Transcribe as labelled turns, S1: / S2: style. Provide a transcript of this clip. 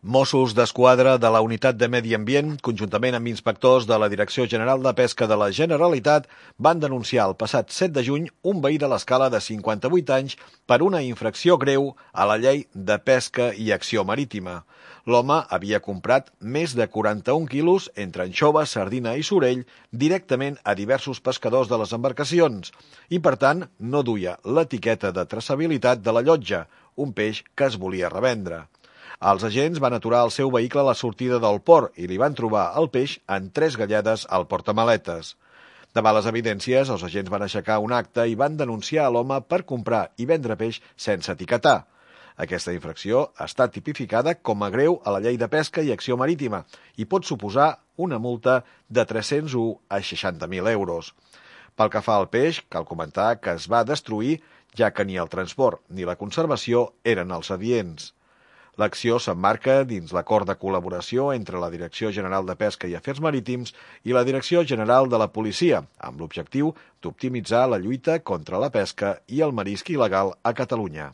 S1: Mossos d'Esquadra de la Unitat de Medi Ambient, conjuntament amb inspectors de la Direcció General de Pesca de la Generalitat, van denunciar el passat 7 de juny un veí de l'Escala de 58 anys per una infracció greu a la llei de pesca i acció marítima. L'home havia comprat més de 41 quilos entre anxova, sardina i sorell directament a diversos pescadors de les embarcacions i, per tant, no duia l'etiqueta de traçabilitat de la llotja, un peix que es volia revendre. Els agents van aturar el seu vehicle a la sortida del port i li van trobar el peix en 3 gallades al portamaletes. Davant les evidències, els agents van aixecar un acte i van denunciar a l'home per comprar i vendre peix sense etiquetar. Aquesta infracció està tipificada com a greu a la Llei de Pesca i Acció Marítima i pot suposar una multa de 301 a 60.000 euros. Pel que fa al peix, cal comentar que es va destruir, ja que ni el transport ni la conservació eren els adients. L'acció s'emmarca dins l'acord de col·laboració entre la Direcció General de Pesca i Afers Marítims i la Direcció General de la Policia, amb l'objectiu d'optimitzar la lluita contra la pesca i el marisc il·legal a Catalunya.